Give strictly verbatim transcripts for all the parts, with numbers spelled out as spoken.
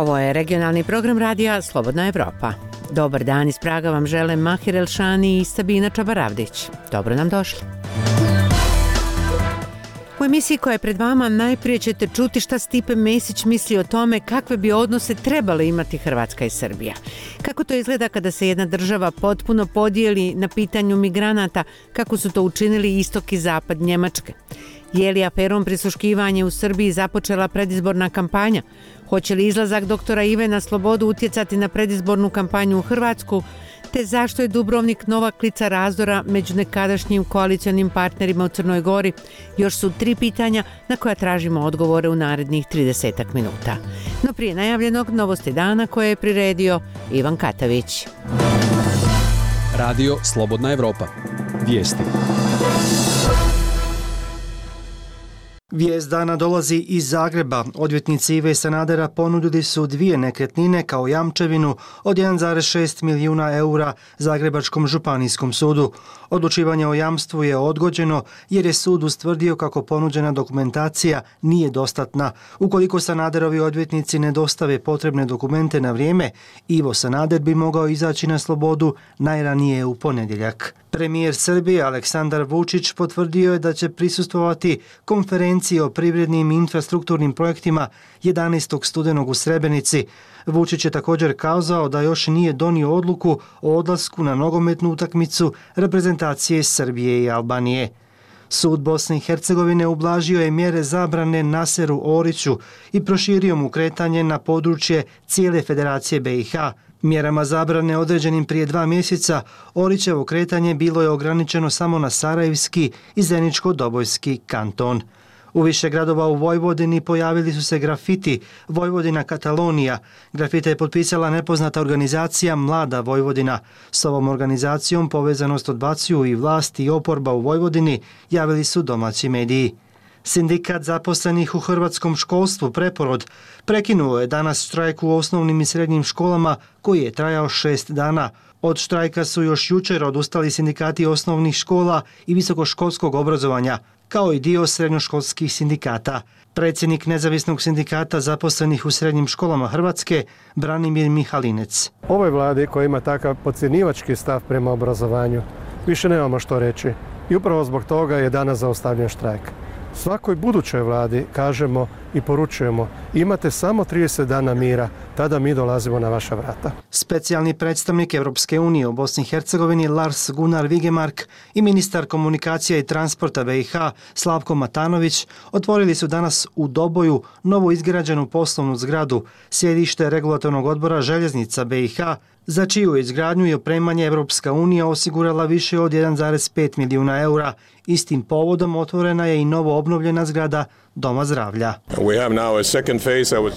Ovo je regionalni program radija Slobodna Evropa. Dobar dan iz Praga vam žele Mahir Elšani i Sabina Čabaravdić. Dobro nam došli. U emisiji koja je pred vama najprije ćete čuti šta Stipe Mesić misli o tome kakve bi odnose trebale imati Hrvatska i Srbija. Kako to izgleda kada se jedna država potpuno podijeli na pitanju migranata, kako su to učinili istok i zapad Njemačke. Je li aferom prisluškivanje u Srbiji započela predizborna kampanja? Hoće li izlazak doktora Ive na slobodu utjecati na predizbornu kampanju u Hrvatsku? Te zašto je Dubrovnik nova klica razdora među nekadašnjim koalicionim partnerima u Crnoj Gori? Još su tri pitanja na koja tražimo odgovore u narednih tridesetak minuta. No prije najavljenog novosti dana koje je priredio Ivan Katavić. Radio Slobodna Evropa. Vijesti. Vijest dana dolazi iz Zagreba. Odvjetnici Ive Sanadera ponudili su dvije nekretnine kao jamčevinu od jedan zarez šest milijuna eura Zagrebačkom županijskom sudu. Odlučivanje o jamstvu je odgođeno jer je sud ustvrdio kako ponuđena dokumentacija nije dostatna. Ukoliko Sanaderovi odvjetnici ne dostave potrebne dokumente na vrijeme, Ivo Sanader bi mogao izaći na slobodu najranije u ponedjeljak. Premijer Srbije Aleksandar Vučić potvrdio je da će prisustvovati konferenciji o privrednim i infrastrukturnim projektima jedanaestog studenog u Srebrenici. Vučić je također kazao da još nije donio odluku o odlasku na nogometnu utakmicu reprezentacije Srbije i Albanije. Sud Bosne i Hercegovine ublažio je mjere zabrane Naseru Oriću i proširio mu kretanje na područje cijele Federacije B i H. Mjerama zabrane određenim prije dva mjeseca Orićevo kretanje bilo je ograničeno samo na Sarajevski i Zeničko-Dobojski kanton. U više gradova u Vojvodini pojavili su se grafiti Vojvodina Katalonija. Grafite je potpisala nepoznata organizacija Mlada Vojvodina. S ovom organizacijom povezanost odbacuju i vlast i oporba u Vojvodini, javili su domaći mediji. Sindikat zaposlenih u hrvatskom školstvu Preporod prekinuo je danas štrajk u osnovnim i srednjim školama koji je trajao šest dana. Od štrajka su još jučer odustali sindikati osnovnih škola i visokoškolskog obrazovanja, kao i dio srednjoškolskih sindikata. Predsjednik Nezavisnog sindikata zaposlenih u srednjim školama Hrvatske, Branimir Mihalinec. Ovoj vladi koja ima takav podcjenjivački stav prema obrazovanju, više nemamo što reći. I upravo zbog toga je danas zaustavljen štrajk. Svakoj budućoj vladi kažemo i poručujemo, imate samo trideset dana mira, tada mi dolazimo na vaša vrata. Specijalni predstavnik Europske unije u Bosni i Hercegovini Lars Gunnar Vigemark i ministar komunikacija i transporta B i H Slavko Matanović otvorili su danas u Doboju novo izgrađenu poslovnu zgradu, sjedište regulatornog odbora željeznica B i H, za čiju izgradnju i opremanje Europska unija osigurala više od jedan zarez pet milijuna eura. Istim povodom otvorena je i novo obnovljena zgrada Doma zdravlja.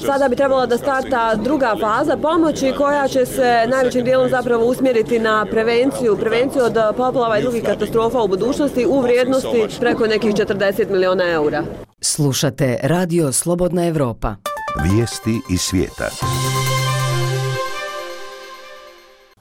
Sada bi trebala da starta druga faza pomoći koja će se najvećim dijelom zapravo usmjeriti na prevenciju, prevenciju od poplava i drugih katastrofa u budućnosti u vrijednosti preko nekih četrdeset milijuna eura. Slušate Radio Slobodna Evropa. Vijesti iz svijeta.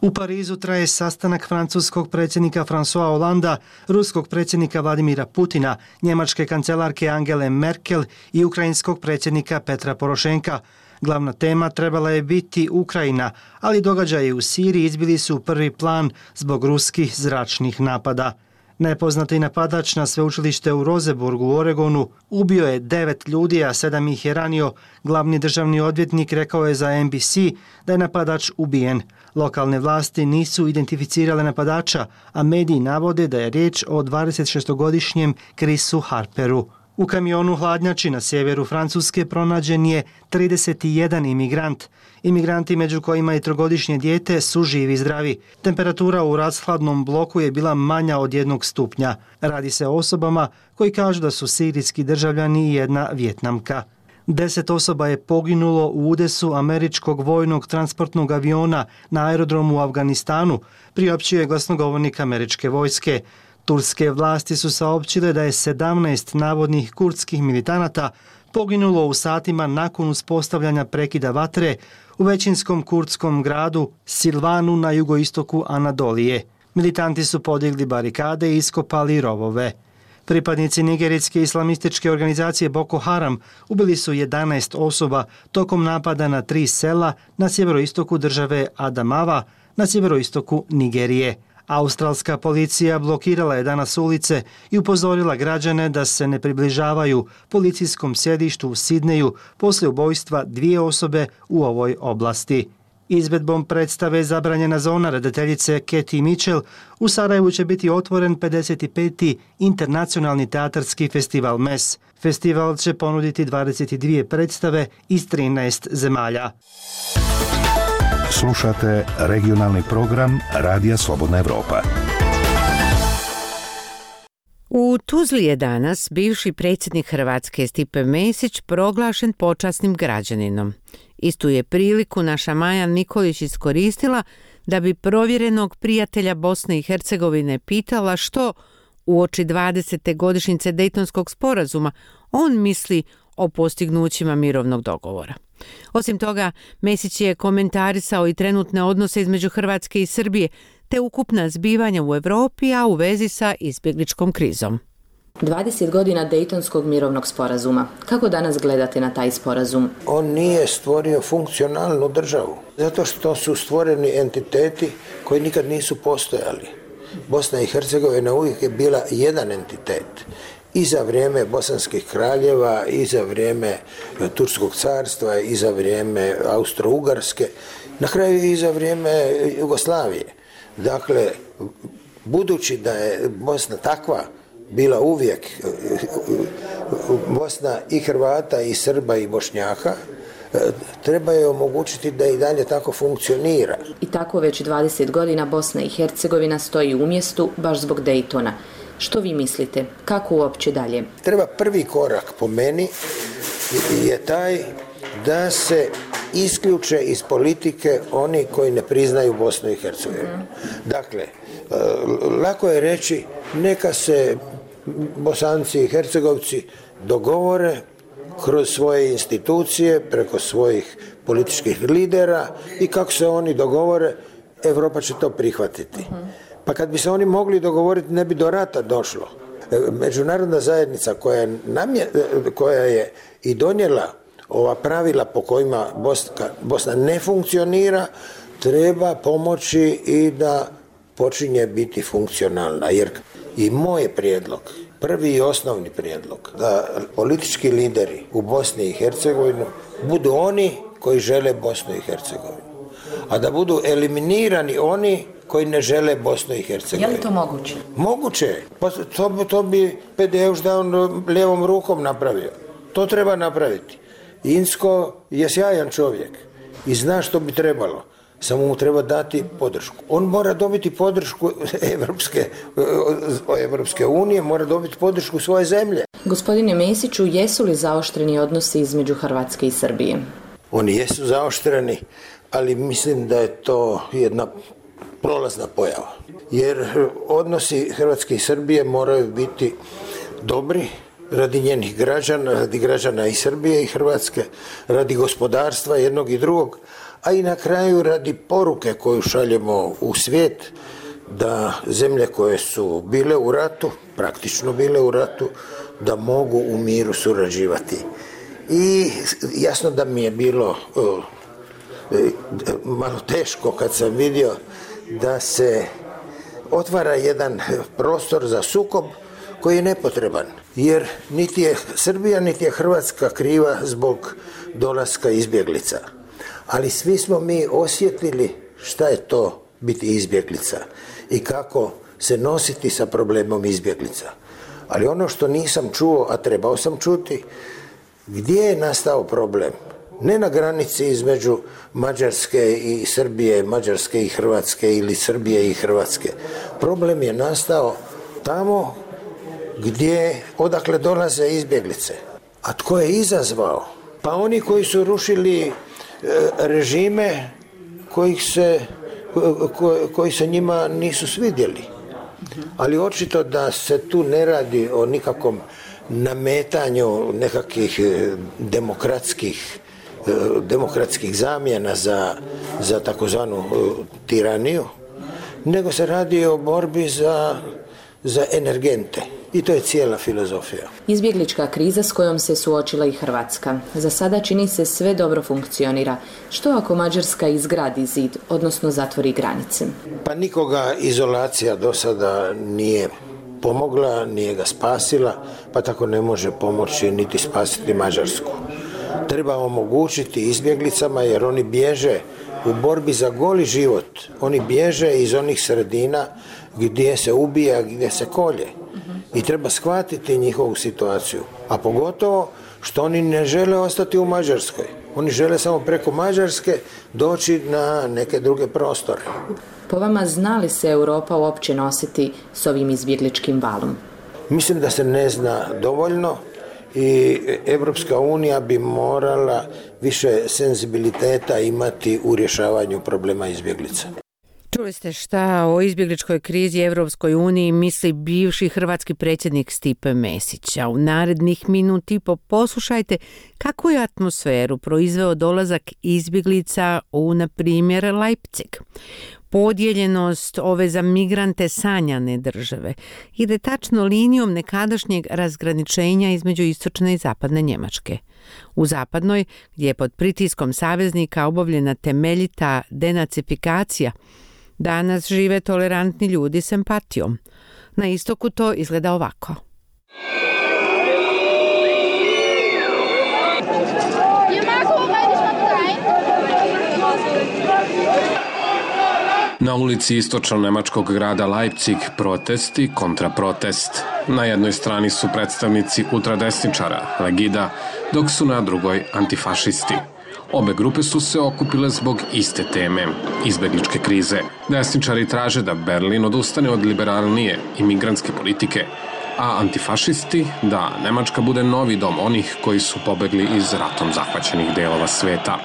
U Parizu traje sastanak francuskog predsjednika François Hollanda, ruskog predsjednika Vladimira Putina, njemačke kancelarke Angele Merkel i ukrajinskog predsjednika Petra Porošenka. Glavna tema trebala je biti Ukrajina, ali događaji u Siriji izbili su u prvi plan zbog ruskih zračnih napada. Nepoznati napadač na sveučilište u Roseburgu u Oregonu ubio je devet ljudi, a sedam ih je ranio. Glavni državni odvjetnik rekao je za N B C da je napadač ubijen. Lokalne vlasti nisu identificirale napadača, a mediji navode da je riječ o dvadesetšestogodišnjem Chrisu Harperu. U kamionu hladnjači na sjeveru Francuske pronađen je trideset jedan imigrant. Imigranti, među kojima i trogodišnje dijete, su živi i zdravi. Temperatura u rashladnom bloku je bila manja od jednog stupnja. Radi se o osobama koji kažu da su sirijski državljani i jedna Vijetnamka. Deset osoba je poginulo u udesu američkog vojnog transportnog aviona na aerodromu u Afganistanu, priopćio je glasnogovornik američke vojske. Turske vlasti su saopćile da je sedamnaest navodnih kurdskih militanata poginulo u satima nakon uspostavljanja prekida vatre u većinskom kurdskom gradu Silvanu na jugoistoku Anadolije. Militanti su podigli barikade i iskopali rovove. Pripadnici nigerijske islamističke organizacije Boko Haram ubili su jedanaest osoba tokom napada na tri sela na sjeveroistoku države Adamawa, na sjeveroistoku Nigerije. Australska policija blokirala je danas ulice i upozorila građane da se ne približavaju policijskom sjedištu u Sidneju poslije ubojstva dvije osobe u ovoj oblasti. Izvedbom predstave Zabranjena zona redateljice Katie Mitchell u Sarajevu će biti otvoren pedeset peti internacionalni teatarski festival M E S. Festival će ponuditi dvadeset dvije predstave iz trinaest zemalja. Slušate regionalni program Radija Slobodna Evropa. U Tuzli je danas bivši predsjednik Hrvatske Stipe Mesić proglašen počasnim građaninom. Istu je priliku naša Maja Nikolić iskoristila da bi provjerenog prijatelja Bosne i Hercegovine pitala što uoči dvadesete godišnjice Dejtonskog sporazuma on misli o postignućima mirovnog dogovora. Osim toga, Mesić je komentarisao i trenutne odnose između Hrvatske i Srbije, te ukupna zbivanja u Europi, a u vezi sa izbjegličkom krizom. dvadeset godina Dejtonskog mirovnog sporazuma. Kako danas gledate na taj sporazum? On nije stvorio funkcionalnu državu, zato što su stvoreni entiteti koji nikad nisu postojali. Bosna i Hercegovina uvijek je bila jedan entitet. I za vrijeme bosanskih kraljeva, i za vrijeme Turskog carstva, i za vrijeme Austro-Ugarske, na kraju i za vrijeme Jugoslavije. Dakle, budući da je Bosna takva bila uvijek, Bosna i Hrvata, i Srba, i Bošnjaka, treba je omogućiti da i dalje tako funkcionira. I tako već dvadeset godina Bosna i Hercegovina stoji u mjestu baš zbog Dejtona. Što vi mislite? Kako uopće dalje? Treba prvi korak po meni je taj da se isključe iz politike oni koji ne priznaju Bosnu i Hercegovinu. Dakle, lako je reći neka se Bosanci i Hercegovci dogovore kroz svoje institucije, preko svojih političkih lidera i kako se oni dogovore, Europa će to prihvatiti. Pa kad bi se oni mogli dogovoriti, ne bi do rata došlo. Međunarodna zajednica koja je, namje, koja je i donijela ova pravila po kojima Bosna, Bosna ne funkcionira, treba pomoći i da počinje biti funkcionalna. Jer i moj prijedlog, prvi i osnovni prijedlog, da politički lideri u Bosni i Hercegovini budu oni koji žele Bosnu i Hercegovinu, a da budu eliminirani oni koji ne žele Bosnu i Hercegovinu. Je li to moguće? Moguće je. Pa to, to bi Pedeuš da on lijevom rukom napravio. To treba napraviti. Insko je sjajan čovjek i zna što bi trebalo. Samo mu treba dati podršku. On mora dobiti podršku Evropske, Evropske unije, mora dobiti podršku svoje zemlje. Gospodine Mesiću, jesu li zaoštreni odnosi između Hrvatske i Srbije? Oni jesu zaoštreni, ali mislim da je to jedna prolazna pojava. Jer odnosi Hrvatske i Srbije moraju biti dobri radi njenih građana, radi građana i Srbije i Hrvatske, radi gospodarstva jednog i drugog, a i na kraju radi poruke koju šaljemo u svijet da zemlje koje su bile u ratu, praktično bile u ratu, da mogu u miru surađivati. I jasno da mi je bilo o, malo teško kad sam vidio da se otvara jedan prostor za sukob koji je nepotreban, jer niti je Srbija niti je Hrvatska kriva zbog dolaska izbjeglica. Ali svi smo mi osjetili šta je to biti izbjeglica i kako se nositi sa problemom izbjeglica. Ali ono što nisam čuo, a trebao sam čuti, gdje je nastao problem? Ne na granici između Mađarske i Srbije, Mađarske i Hrvatske ili Srbije i Hrvatske. Problem je nastao tamo gdje, odakle dolaze izbjeglice. A tko je izazvao? Pa oni koji su rušili e, režime kojih se, ko, koji se njima nisu svidjeli. Ali očito da se tu ne radi o nikakvom nametanju nekakvih demokratskih demokratskih zamjena za, za takozvanu tiraniju, nego se radi o borbi za, za energente. I to je cijela filozofija. Izbjeglička kriza s kojom se suočila i Hrvatska. Za sada čini se sve dobro funkcionira. Što ako Mađarska izgradi zid, odnosno zatvori granice? Pa nikoga izolacija do sada nije pomogla, nije ga spasila, pa tako ne može pomoći niti spasiti Mađarsku. Treba omogućiti izbjeglicama jer oni bježe u borbi za goli život. Oni bježe iz onih sredina gdje se ubija, gdje se kolje. I treba shvatiti njihovu situaciju. A pogotovo što oni ne žele ostati u Mađarskoj. Oni žele samo preko Mađarske doći na neke druge prostore. Po vama, zna li se Europa uopće nositi s ovim izbjegličkim valom? Mislim da se ne zna dovoljno i Evropska unija bi morala više senzibiliteta imati u rješavanju problema izbjeglica. Čuli ste šta o izbjegličkoj krizi Evropskoj uniji misli bivši hrvatski predsjednik Stipe Mesić, a u narednih minut i po poslušajte kakvu je atmosferu proizveo dolazak izbjeglica u, na primjer, Leipzig. Podijeljenost ove za migrante sanjane države ide tačno linijom nekadašnjeg razgraničenja između istočne i zapadne Njemačke. U zapadnoj, gdje je pod pritiskom saveznika obavljena temeljita denacifikacija, danas žive tolerantni ljudi s empatijom. Na istoku to izgleda ovako. Na ulici istočno-nemačkog grada Leipzig protesti kontra protest. Na jednoj strani su predstavnici ultradesničara, Legida, dok su na drugoj antifašisti. Obe grupe su se okupile zbog iste teme, izbjegličke krize. Desničari traže da Berlin odustane od liberalnije imigrantske politike, a antifašisti da Nemačka bude novi dom onih koji su pobegli iz ratom zahvaćenih delova sveta.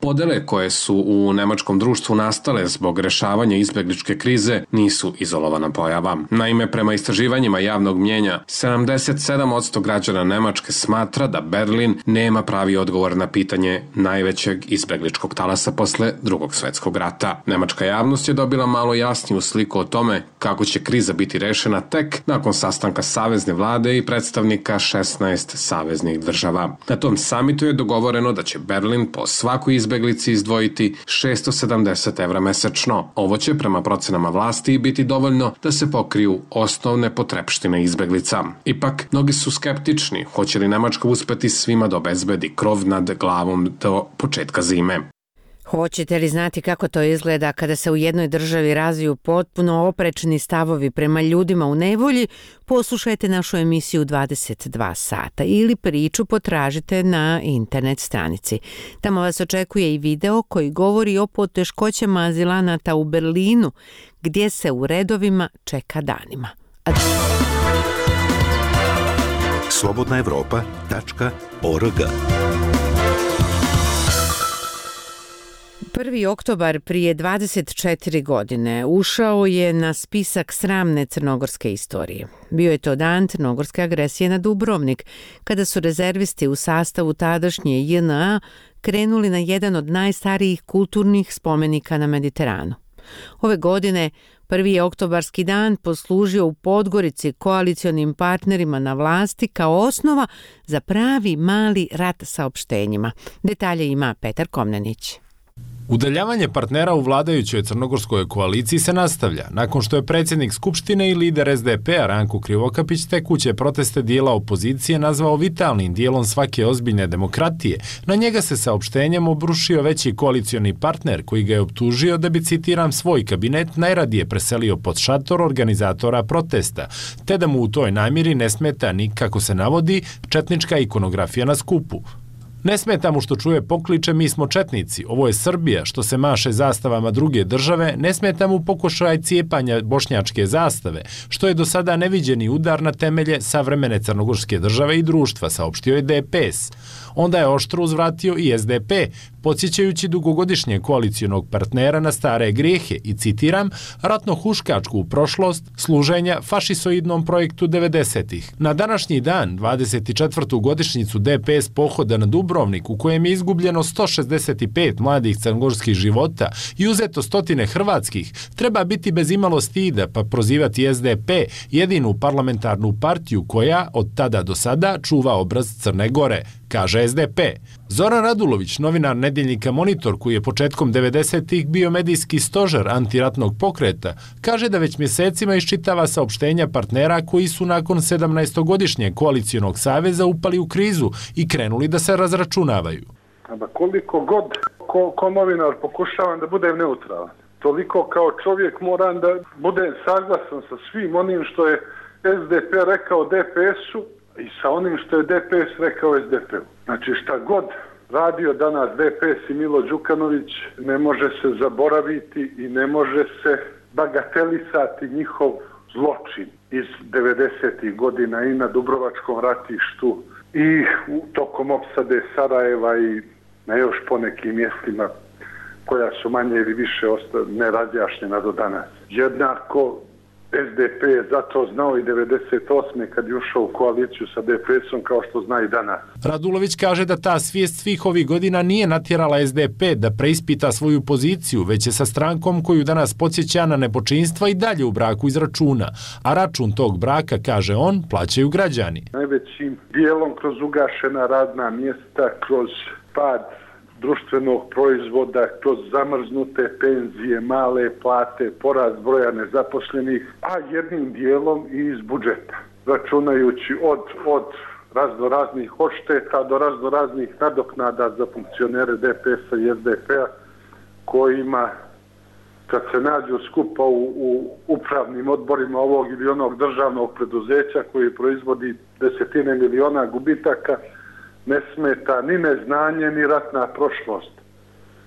Podele koje su u nemačkom društvu nastale zbog rešavanja izbjegličke krize nisu izolovana pojava. Naime, prema istraživanjima javnog mnjenja, sedamdeset sedam posto građana Nemačke smatra da Berlin nema pravi odgovor na pitanje najvećeg izbjegličkog talasa posle Drugog svjetskog rata. Nemačka javnost je dobila malo jasniju sliku o tome kako će kriza biti rešena tek nakon sastanka savezne vlade i predstavnika šesnaest saveznih država. Na tom samitu je dogovoreno da će Berlin po svakoj izbjeglici izdvojiti šesto sedamdeset evra mesečno. Ovo će prema procenama vlasti biti dovoljno da se pokriju osnovne potrepštine izbjeglica. Ipak, mnogi su skeptični hoće li Nemačka uspeti svima da obezbedi krov nad glavom do početka zime. Hoćete li znati kako to izgleda kada se u jednoj državi razviju potpuno oprečni stavovi prema ljudima u nevolji? Poslušajte našu emisiju dvadeset dva sata ili priču potražite na internet stranici. Tamo vas očekuje i video koji govori o poteškoćama azilanata u Berlinu, gdje se u redovima čeka danima. Ad... slobodna evropa tačka org prvi oktobar prije dvadeset četiri godine ušao je na spisak sramne crnogorske istorije. Bio je to dan crnogorske agresije na Dubrovnik, kada su rezervisti u sastavu tadašnje J N A krenuli na jedan od najstarijih kulturnih spomenika na Mediteranu. Ove godine prvi je oktobarski dan poslužio u Podgorici koalicionim partnerima na vlasti kao osnova za pravi mali rat saopštenjima. Detalje ima Petar Komnenić. Udaljavanje partnera u vladajućoj crnogorskoj koaliciji se nastavlja, nakon što je predsjednik Skupštine i lider S D P-a Ranko Krivokapić tekuće proteste dijela opozicije nazvao vitalnim dijelom svake ozbiljne demokratije. Na njega se saopštenjem obrušio veći koalicioni partner koji ga je optužio da bi, citiram, svoj kabinet najradije preselio pod šator organizatora protesta, te da mu u toj namjeri ne smeta ni, kako se navodi, četnička ikonografija na skupu. Ne smeta mu što čuje pokliče mi smo četnici, ovo je Srbija, što se maše zastavama druge države, ne smeta mu pokušaj cijepanja bošnjačke zastave, što je do sada neviđeni udar na temelje savremene crnogorske države i društva, saopštio je D P S. Onda je oštro uzvratio i S D P, podsjećajući dugogodišnje koalicionog partnera na stare grijehe i, citiram, ratno-huškačku prošlost služenja fašisoidnom projektu devedesetih. Na današnji dan, dvadeset četvrtu godišnjicu D P S pohoda na Dubrovnik, u kojem je izgubljeno sto šezdeset pet mladih crnogorskih života i uzeto stotine hrvatskih, treba biti bez imalo stida pa prozivati S D P, jedinu parlamentarnu partiju koja od tada do sada čuva obraz Crne Gore, kaže S D P. Zoran Radulović, novinar nedjeljnika Monitor, koji je početkom devedesetih bio medijski stožer antiratnog pokreta, kaže da već mjesecima iščitava saopštenja partnera koji su nakon sedamnaestogodišnjeg koalicionog saveza upali u krizu i krenuli da se razračunavaju. Aba koliko god ko, ko novinar pokušavam da budem neutralan, toliko kao čovjek moram da budem saglasan sa svim onim što je S D P rekao D P S-u i sa onim što je D P S rekao S D P-u. Znači šta god radio danas D P S i Milo Đukanović, ne može se zaboraviti i ne može se bagatelisati njihov zločin iz devedesetih godina i na Dubrovačkom ratištu i u tokom opsade Sarajeva i na još ponekim mjestima koja su manje ili više nerazjašnjena do danas. Jednako S D P je zato znao i devedeset osme kad je ušao u koaliciju sa D P S-om kao što zna i danas. Radulović kaže da ta svijest svih ovih godina nije natjerala S D P da preispita svoju poziciju, već je sa strankom koju danas podsjeća na nepočinstva i dalje u braku iz računa. A račun tog braka, kaže on, plaćaju građani. Najvećim dijelom kroz ugašena radna mjesta, kroz pad društvenog proizvoda, kroz zamrznute penzije, male plate, porast broja nezaposlenih, a jednim dijelom i iz budžeta, računajući od, od razno raznih odšteta do razno raznih nadoknada za funkcionere D P S-a i S D P-a, kojima kad se nađu skupa u, u upravnim odborima ovog ili onog državnog preduzeća koji proizvodi desetine miliona gubitaka, ne smeta ni neznanje, ni ratna prošlost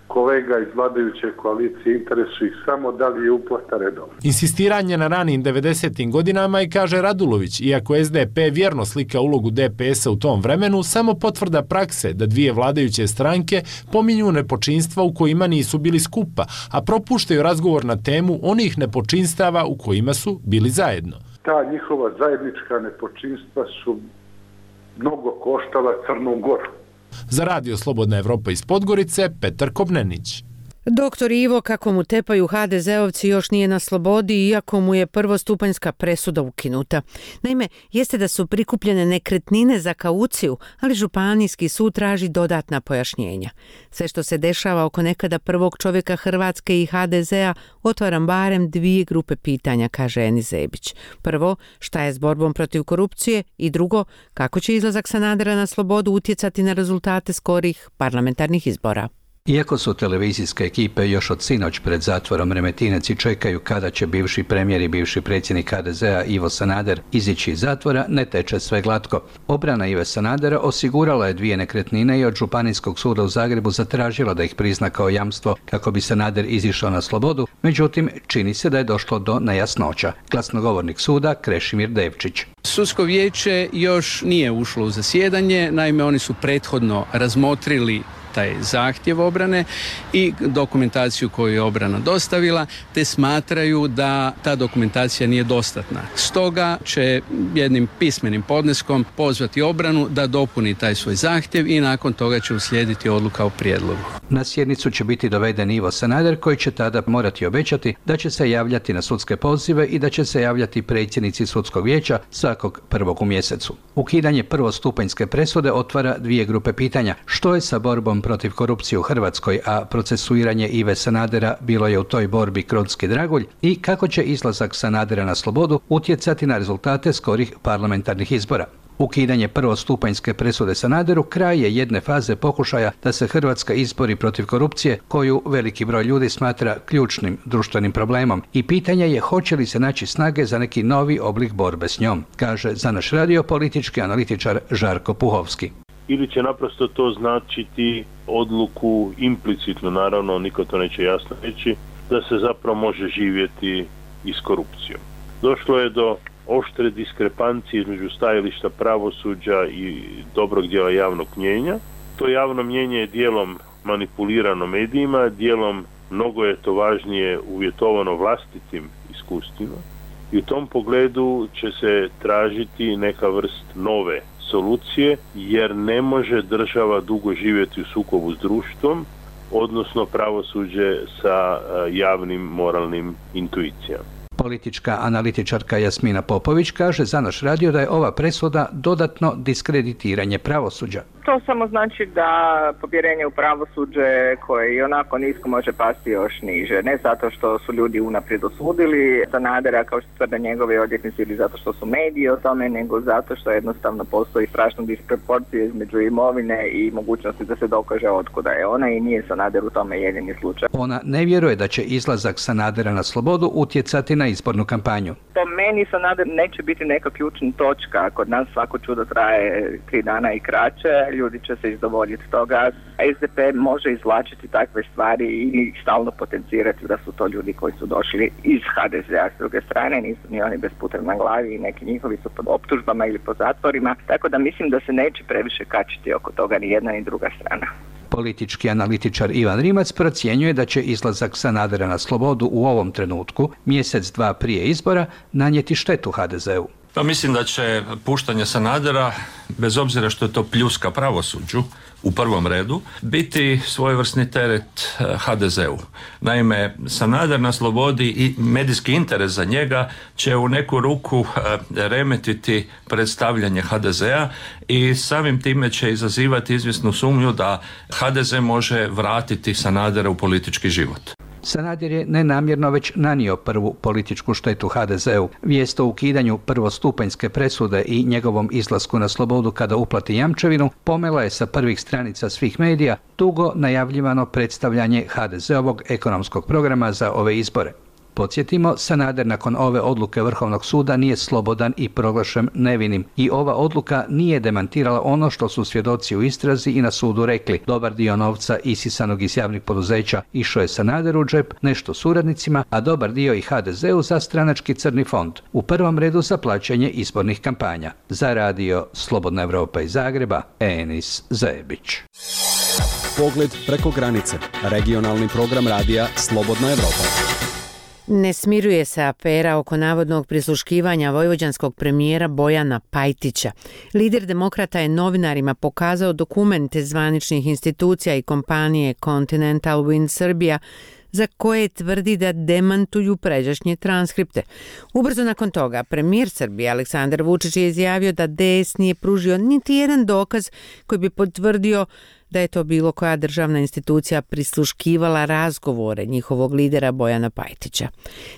kolega iz vladajuće koalicije, interesuju ih samo da li je uplata redovna. Insistiranje na ranim devedesetim godinama i, kaže Radulović, iako S D P vjerno slika ulogu D P S-a u tom vremenu, samo potvrda prakse da dvije vladajuće stranke pominju nepočinstva u kojima nisu bili skupa, a propuštaju razgovor na temu onih nepočinstava u kojima su bili zajedno. Ta njihova zajednička nepočinstva su mnogo koštala Crnu Goru. Za Radio Slobodna Evropa iz Podgorice, Petar Kobnenić. Doktor Ivo, kako mu tepaju ha de zeovci, još nije na slobodi, iako mu je prvostupanjska presuda ukinuta. Naime, jeste da su prikupljene nekretnine za kauciju, ali županijski sud traži dodatna pojašnjenja. Sve što se dešava oko nekada prvog čovjeka Hrvatske i ha de zea otvaram barem dvije grupe pitanja, kaže Enis Zebić. Prvo, šta je s borbom protiv korupcije, i drugo, kako će izlazak Sanadera na slobodu utjecati na rezultate skorih parlamentarnih izbora. Iako su televizijske ekipe još od sinoć pred zatvorom Remetinec i čekaju kada će bivši premijer i bivši predsjednik ha de zea Ivo Sanader izići iz zatvora, ne teče sve glatko. Obrana Ive Sanadera osigurala je dvije nekretnine i od Županijskog suda u Zagrebu zatražila da ih prizna kao jamstvo kako bi Sanader izišao na slobodu, međutim čini se da je došlo do nejasnoća. Glasnogovornik suda Krešimir Devčić. Sudsko vijeće još nije ušlo u zasjedanje, naime oni su prethodno razmotrili taj zahtjev obrane i dokumentaciju koju je obrana dostavila, te smatraju da ta dokumentacija nije dostatna. Stoga će jednim pismenim podneskom pozvati obranu da dopuni taj svoj zahtjev i nakon toga će uslijediti odluka o prijedlogu. Na sjednicu će biti doveden Ivo Sanader, koji će tada morati obećati da će se javljati na sudske pozive i da će se javljati predsjednici sudskog vijeća svakog prvog u mjesecu. Ukidanje prvostupanjske presude otvara dvije grupe pitanja. Što je sa borbom protiv korupcije u Hrvatskoj, a procesuiranje Ive Sanadera bilo je u toj borbi Kronski dragulj, i kako će izlazak Sanadera na slobodu utjecati na rezultate skorih parlamentarnih izbora. Ukidanje prvostupanjske presude Sanaderu kraj je jedne faze pokušaja da se Hrvatska izbori protiv korupcije, koju veliki broj ljudi smatra ključnim društvenim problemom, i pitanje je hoće li se naći snage za neki novi oblik borbe s njom, kaže za naš radio politički analitičar Žarko Puhovski. Ili će naprosto to značiti odluku implicitno, naravno niko to neće jasno reći, da se zapravo može živjeti i s korupcijom. Došlo je do oštre diskrepancije između stajališta pravosuđa i dobrog dijela javnog mnijenja. To javno mnijenje je dijelom manipulirano medijima, dijelom mnogo je to važnije uvjetovano vlastitim iskustvima i u tom pogledu će se tražiti neka vrst nove solucije, jer ne može država dugo živjeti u sukobu s društvom, odnosno pravosuđe sa javnim moralnim intuicijama. Politička analitičarka Jasmina Popović kaže za naš radio da je ova presuda dodatno diskreditiranje pravosuđa. To samo znači da povjerenje u pravosuđe koje i onako nisko može pasti još niže. Ne zato što su ljudi unaprijed osudili Sanadera kao što tvrde njegovi odvjetnici ili zato što su mediji o tome, nego zato što jednostavno postoji strašna disproporcija između imovine i mogućnosti da se dokaže otkuda je ona i nije Sanader u tome jedini slučaj. Ona ne vjeruje da će izlazak Sanadera na slobodu utjecati na izbornu kampanju. Po meni Sanader neće biti neka ključna točka. Kod nas svako čudo traje tri dana i kraće. Ljudi će se izdovoljiti toga. es de pe može izvlačiti takve stvari i stalno potencirati da su to ljudi koji su došli iz ha de zea. S druge strane nisu ni oni bez putra na glavi i neki njihovi su pod optužbama ili pod zatvorima. Tako da mislim da se neće previše kačiti oko toga ni jedna ni druga strana. Politički analitičar Ivan Rimac procjenjuje da će izlazak Sanadera na slobodu u ovom trenutku, mjesec dva prije izbora, nanijeti štetu ha de zeu. Pa mislim da će puštanje Sanadera, bez obzira što je to pljuska pravosuđu, u prvom redu, biti svojevrsni teret ha de zeu. Naime, Sanader na slobodi i medijski interes za njega će u neku ruku remetiti predstavljanje ha de zea i samim time će izazivati izvjesnu sumnju da ha de ze može vratiti Sanadera u politički život. Sanader je nenamjerno već nanio prvu političku štetu ha de zeu. Vijest o ukidanju prvostupanjske presude i njegovom izlasku na slobodu kada uplati jamčevinu pomela je sa prvih stranica svih medija dugo najavljivano predstavljanje ha de zeovog ekonomskog programa za ove izbore. Podsjetimo, Sanader nakon ove odluke Vrhovnog suda nije slobodan i proglašen nevinim i ova odluka nije demantirala ono što su svjedoci u istrazi i na sudu rekli. Dobar dio novca isisanog iz javnih poduzeća išao je Sanaderu u džep, nešto suradnicima, a dobar dio i ha de zeu za stranački crni fond. U prvom redu za plaćanje izbornih kampanja. Za radio Slobodna Evropa iz Zagreba, Enis Zebić. Pogled preko granice. Regionalni program radija Slobodna Evropa. Ne smiruje se afera oko navodnog prisluškivanja vojvođanskog premijera Bojana Pajtića. Lider demokrata je novinarima pokazao dokumente zvaničnih institucija i kompanije Continental Wind Serbia za koje tvrdi da demantuju pređašnje transkripte. Ubrzo nakon toga, premijer Srbije Aleksandar Vučić je izjavio da de es nije pružio niti jedan dokaz koji bi potvrdio da je to bilo koja državna institucija prisluškivala razgovore njihovog lidera Bojana Pajtića.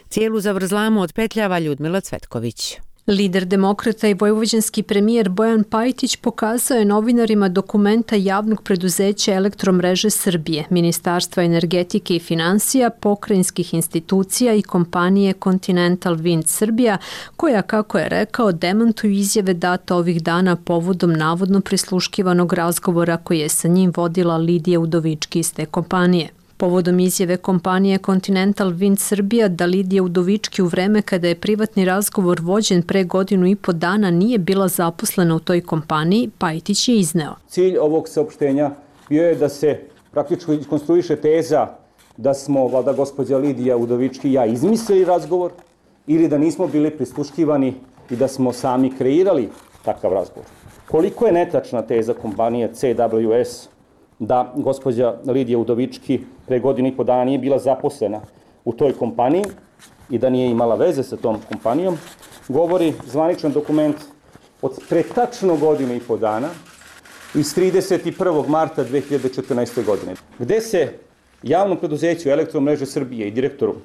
Cijelu zavrzlamu otpetljava Ljudmila Cvetković. Lider demokrata i vojvođanski premijer Bojan Pajtić pokazao je novinarima dokumenta javnog preduzeća Elektromreže Srbije, Ministarstva energetike i financija, pokrajinskih institucija i kompanije Continental Wind Serbia, koja, kako je rekao, demantuju izjave date ovih dana povodom navodno prisluškivanog razgovora koji je sa njim vodila Lidija Udovički iz te kompanije. Povodom izjave kompanije Continental Wind Serbia da Lidija Udovički u vreme kada je privatni razgovor vođen pre godinu i po dana nije bila zaposlena u toj kompaniji, Pajtić je izneo. Cilj ovog saopštenja bio je da se praktično konstruiše teza da smo, valjda gospođa Lidija Udovički i ja, izmislili razgovor ili da nismo bili prisluškivani i da smo sami kreirali takav razgovor. Koliko je netačna teza kompanije ce dablju es da gospođa Lidija Udovički pre godinu i po dana nije bila zaposlena u toj kompaniji i da nije imala veze sa tom kompanijom, govori zvaničan dokument od pre tačno godinu i po dana iz trideset prvog marta dve hiljade četrnaeste. godine, gde se javnom preduzeću Elektromreže Srbije i direktoru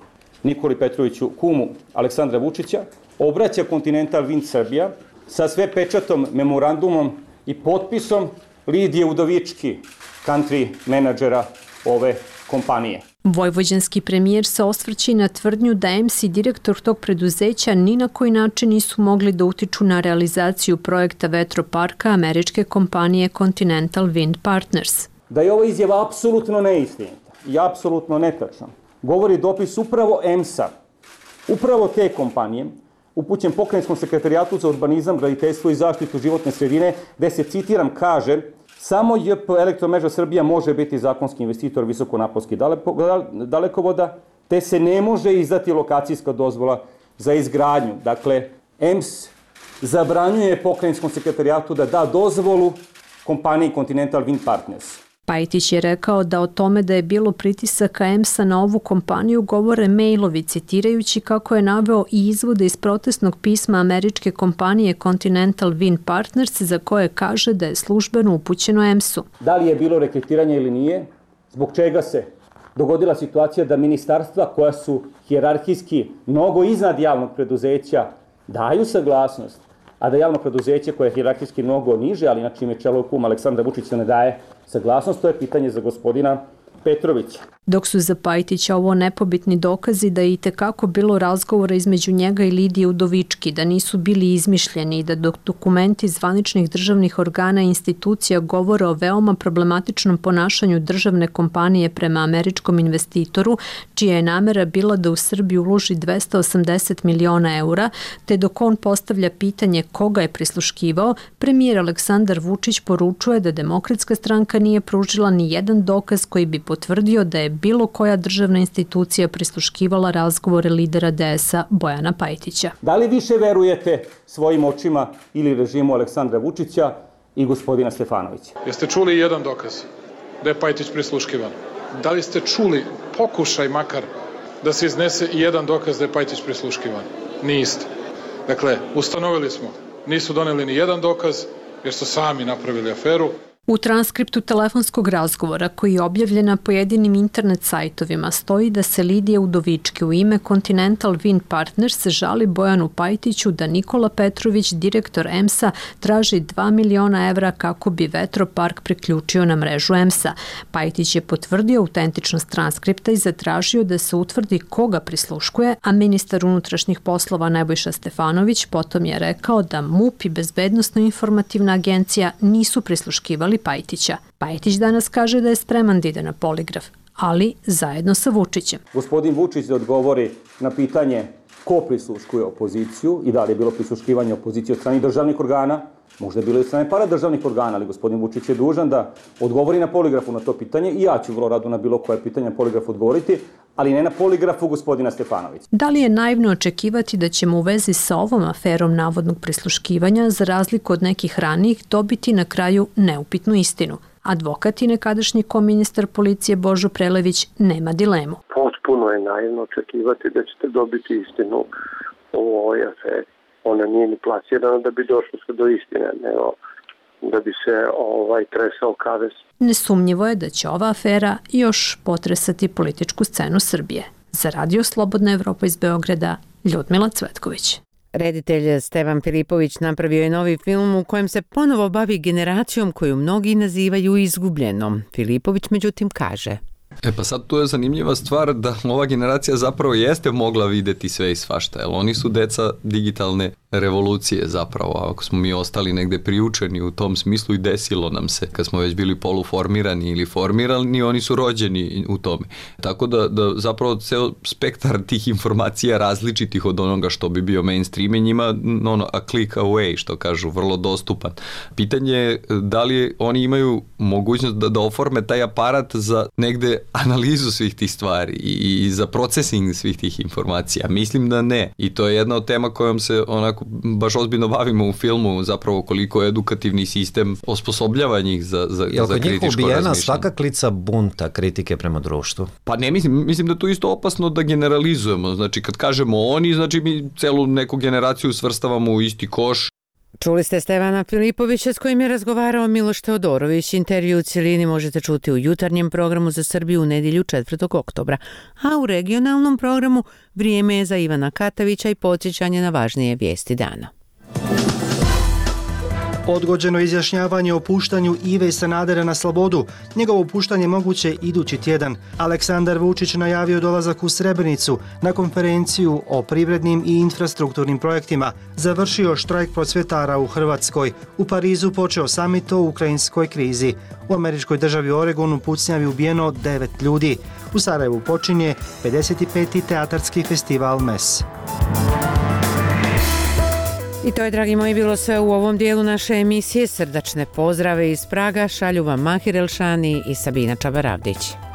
Nikoli Petroviću, kumu Aleksandra Vučića, obraća Continental Wind Serbia sa sve pečatom, memorandumom i potpisom Lidije Udovički, country menadžera ove kompanije. Vojvođanski premijer se osvrće na tvrdnju da em si direktor tog preduzeća ni na koji način nisu mogli da utiču na realizaciju projekta vetroparka američke kompanije Continental Wind Partners. Da je ova izjava apsolutno neistinita i apsolutno netačna, govori dopis upravo em sa, upravo te kompanije, upućen Pokrajinskom sekretarijatu za urbanizam, graditeljstvo i zaštitu životne sredine, gde se, citiram, kaže Samo J P Elektromreža Srbija može biti zakonski investitor visokonaponskih dalekovoda, te se ne može izdati lokacijska dozvola za izgradnju. Dakle, E M S zabranjuje pokrajinskom sekretarijatu da da dozvolu kompaniji Continental Wind Partners. Pajtić je rekao da o tome da je bilo pritisaka E M S-a na ovu kompaniju govore mailovi, citirajući kako je naveo i izvode iz protestnog pisma američke kompanije Continental Wind Partners, za koje kaže da je službeno upućeno E M S-u. Da li je bilo rekretiranja ili nije? Zbog čega se dogodila situacija da ministarstva koja su hijerarhijski mnogo iznad javnog preduzeća daju saglasnost, a da javno preduzeće koje je hijerarhijski mnogo niže, ali na čime čelo kum Aleksandra Vučića ne daje saglasnost, to je pitanje za gospodina Petrovića. Dok su za Pajtića ovo nepobitni dokazi da je itekako bilo razgovora između njega i Lidije Udovički, da nisu bili izmišljeni i da dok dokumenti zvaničnih državnih organa i institucija govore o veoma problematičnom ponašanju državne kompanije prema američkom investitoru, čija je namera bila da u Srbiju uloži dvesta osamdeset miliona eura, te dok on postavlja pitanje koga je prisluškivao, premijer Aleksandar Vučić poručuje da Demokratska stranka nije pružila ni jedan dokaz koji bi potvrdio da je bilo koja državna institucija prisluškivala razgovore lidera D S-a Bojana Pajtića. Da li više verujete svojim očima ili režimu Aleksandra Vučića i gospodina Stefanovića? Jeste čuli jedan dokaz da je Pajtić prisluškivan? Da li ste čuli pokušaj makar da se iznese i jedan dokaz da je Pajtić prisluškivan? Niste. Dakle, ustanovili smo, nisu doneli ni jedan dokaz jer su sami napravili aferu. U transkriptu telefonskog razgovora koji je objavljen na pojedinim internet sajtovima stoji da se Lidija Udovički u ime Continental Wind Partners žali Bojanu Pajtiću da Nikola Petrović, direktor E M S-a, traži dva miliona evra kako bi vetropark priključio na mrežu E M S-a. Pajtić je potvrdio autentičnost transkripta i zatražio da se utvrdi koga prisluškuje, a ministar unutrašnjih poslova Nebojša Stefanović potom je rekao da M U P i Bezbednosno-informativna agencija nisu prisluškivali Pajtića. Pajtić danas kaže da je spreman da ide na poligraf, ali zajedno sa Vučićem. Gospodin Vučić da odgovori na pitanje ko prisluškuje opoziciju i da li je bilo prisluškivanje opozicije od strane državnih organa, možda je bilo i od strane paradržavnih organa, ali gospodin Vučić je dužan da odgovori na poligrafu na to pitanje i ja ću vrlo rado na bilo koje pitanje na poligrafu odgovoriti, ali ne na poligrafu gospodina Stefanovića. Da li je naivno očekivati da ćemo u vezi sa ovom aferom navodnog prisluškivanja, za razliku od nekih ranijih, dobiti na kraju neupitnu istinu? Advokat i nekadašnji koministar policije Božo Prelević nema dilemu. Potpuno je naivno očekivati da ćete dobiti istinu o ovoj aferi. Ona nije ni plasirana da bi došlo se do istine, nego da bi se ovaj tresao kavez. Nesumnjivo je da će ova afera još potresati političku scenu Srbije. Za Radio Slobodna Evropa iz Beograda, Ljudmila Cvetković. Reditelj Stevan Filipović napravio je novi film u kojem se ponovo bavi generacijom koju mnogi nazivaju izgubljenom. Filipović međutim kaže: E pa sad tu je zanimljiva stvar da ova generacija zapravo jeste mogla videti sve i svašta, jer oni su deca digitalne revolucije zapravo, ako smo mi ostali negde priučeni u tom smislu i desilo nam se, kad smo već bili poluformirani ili formirani, oni su rođeni u tome. Tako da, da zapravo ceo spektar tih informacija različitih od onoga što bi bio mainstream je njima ono, a click away, što kažu, vrlo dostupan. Pitanje je da li oni imaju mogućnost da, da oforme taj aparat za negde analizu svih tih stvari i, i za procesing svih tih informacija. Mislim da ne. I to je jedna od tema kojom se onako baš ozbiljno bavimo u filmu, zapravo koliko je edukativni sistem osposobljava njih za, za, Jel za kritičko razmišljanje. Jel kod njih ubijena svaka klica bunta kritike prema društvu? Pa ne mislim, mislim da to isto opasno da generalizujemo. Znači kad kažemo oni, znači mi celu neku generaciju svrstavamo u isti koš. Čuli ste Stevana Filipovića s kojim je razgovarao Miloš Teodorović. Intervju u cijelini možete čuti u jutarnjem programu za Srbiju u nedjelju četvrtog oktobra, a u regionalnom programu vrijeme je za Ivana Katavića i podsjećanje na važnije vijesti dana. Odgođeno izjašnjavanje o puštanju Ive Sanadera na slobodu. Njegovo puštanje moguće idući tjedan. Aleksandar Vučić najavio dolazak u Srebrenicu na konferenciju o privrednim i infrastrukturnim projektima. Završio štrajk prosvjetara u Hrvatskoj. U Parizu počeo samit o ukrajinskoj krizi. U američkoj državi Oregonu pucnjavi ubijeno devet ljudi. U Sarajevu počinje pedeset peti teatarski festival M E S. I to je, dragi moji, bilo sve u ovom dijelu naše emisije. Srdačne pozdrave iz Praga šalju vam Mahir Elšani i Sabina Čabaravdić.